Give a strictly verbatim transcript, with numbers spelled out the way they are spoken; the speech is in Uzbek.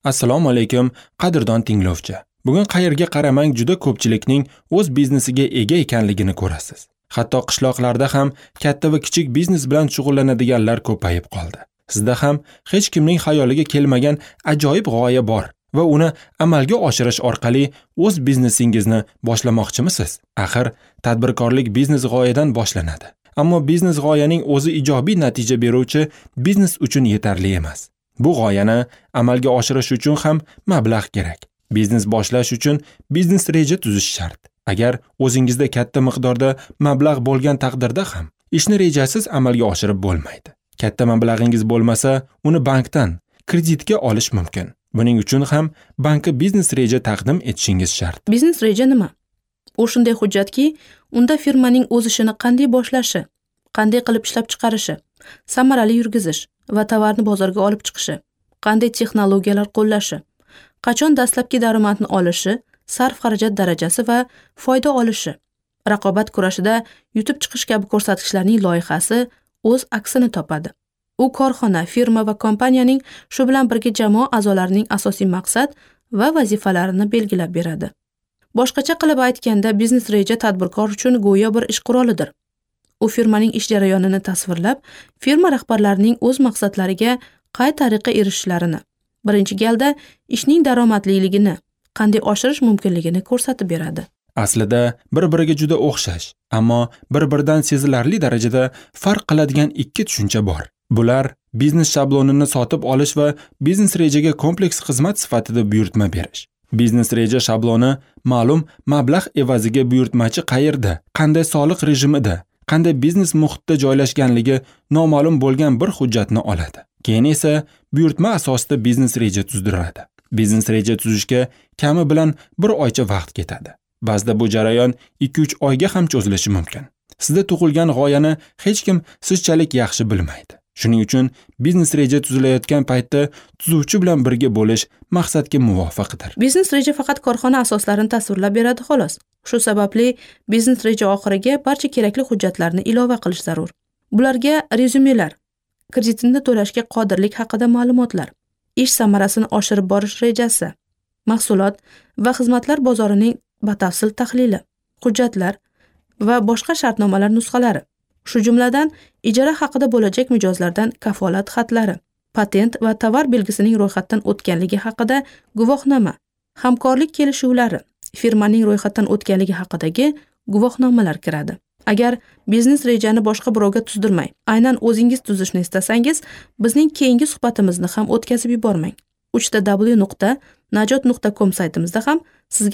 Assalomu alaykum, qadrdon tinglovchi. Bugun qayerga qaramang juda ko'pchilikning o'z biznesiga ega ekanligini ko'rasiz. Hatto qishloqlarda ham katta va kichik biznes bilan shug'ullanadiganlar ko'payib qoldi. Sizda ham hech kimning xayoliga kelmagan ajoyib g'oya bor va uni amalga oshirish orqali o'z biznesingizni boshlamoqchimisiz? Axir, tadbirkorlik biznes g'oyadan boshlanadi. Ammo biznes g'oyaning o'zi ijobiy natija beruvchi biznes uchun yetarli emas. Bu g'oyani amalga oshirish uchun ham mablag' kerak. Biznes boshlash uchun biznes reja tuzish shart. Agar o'zingizda katta miqdorda mablag' bo'lgan taqdirda ham ishni rejasiz amalga oshirib bo'lmaydi. Katta mablag'ingiz bo'lmasa, uni bankdan kreditga olish mumkin. Buning uchun ham bankka biznes reja taqdim etishingiz shart. Biznes reja nima? U shunday hujjatki, unda firmaning o'z ishini qanday boshlashi, qanday qilib ishlab chiqarishi, samarali yurgizish va tovarni bozorga olib chiqishi, qanday texnologiyalar qo'llashi, qachon dastlabki daromadni olishi, sarf-xarajat darajasi va foyda olishi, raqobat kurashida yutib chiqish kabi ko'rsatkichlarning loyihasi o'z aksini topadi. U korxona, firma va kompaniyaning, shu bilan birga jamoa a'zolarining asosiy maqsad va vazifalarini belgilab beradi. Boshqacha qilib aytganda, biznes reja tadbirkor uchun go'yo bir ish qurolidir. U firmaning ish jarayonini tasvirlab, firma rahbarlarining o'z maqsadlariga qay tariqa erishishlarini, birinchi galda ishning daromadliligini qanday oshirish mumkinligini ko'rsatib beradi. Aslida bir-biriga juda o'xshash, ammo bir-biridan sezilarli darajada farq qiladigan ikki tushuncha bor. Bular biznes shablonini sotib olish va biznes rejaga kompleks xizmat sifatida buyurtma berish. Biznes reja shabloni ma'lum mablag' evaziga buyurtmachi qayerda, qanday soliq rejimida, qanday biznes muhitda joylashganligi noma'lum bo'lgan bir hujjatni oladi. Keyin esa buyurtma asosida biznes reja tuzdiradi. Biznes reja tuzishga kami bilan bir oycha vaqt ketadi. Ba'zida bu jarayon ikki uch oyga ham cho'zilishi mumkin. Sizda tug'ilgan g'oyani hech kim sizchalik yaxshi bilmaydi. Shuning uchun biznes reja tuzilayotgan paytda tuzuvchi bilan birga bo'lish maqsadga muvofiqdir. Biznes reja faqat korxona asoslarini tasvirlab beradi xolos. Shu sababli biznes reja oxiriga barcha kerakli hujjatlarni ilova qilish zarur. Bularga rezyumelar, kreditni to'lashga qodirlik haqida ma'lumotlar, ish samarasini oshirib borish rejasi, mahsulot va xizmatlar bozorining batafsil tahlili, hujjatlar va boshqa shartnomalar nusxalari, shu jumladan ijara haqida bo'lajak mijozlardan kafolat xatlari, patent va tovar belgisining ro'yxatdan o'tganligi haqida guvohnoma, hamkorlik kelishuvlari, firmaning ro'yxatdan o'tganligi haqidagi guvohnomalar kiradi. Agar biznes rejani boshqa birovga tuzdirmay, aynan o'zingiz tuzishni istasangiz, bizning keyingi suhbatimizni ham o'tkazib yubormang. uch ta w nuqta najot nuqta com saytimizda ham sizga